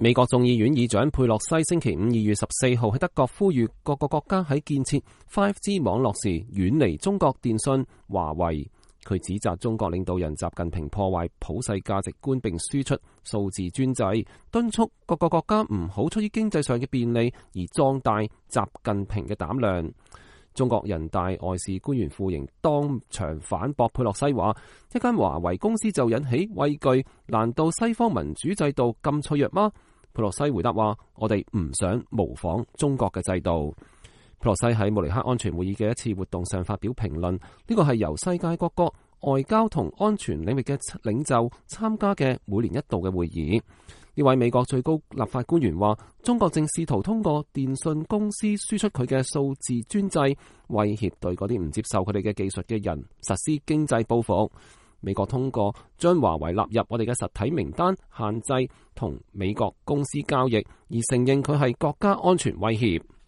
美國眾議院議長佩洛西星期五2月14號喺德國呼籲各個國家喺建設 5G 網絡時遠離中國電信華為。佢指責中國領導人習近平破壞普世價值觀並輸出數字專制，敦促各個國家唔好出於經濟上嘅便利而壯大習近平嘅膽量。中國人大外事官員傅瑩當場反駁佩洛西話：一間華為公司就引起畏懼，難道西方民主制度咁脆弱嗎？佩洛西回答話：我哋唔想模仿中國嘅制度。佩洛西喺慕尼黑安全會議嘅一次活動上發表評論，呢個係由世界各國外交同安全領域嘅領袖參加嘅每年一度嘅會議。呢位美國最高立法官員話：中國正試圖通過電信公司輸出佢嘅數字專制，威脅對嗰啲唔接受佢哋嘅技術嘅人實施經濟報復。美國通過將華為納入我哋嘅實體名單，限制同美國公司交易，而承認佢係國家安全威脅。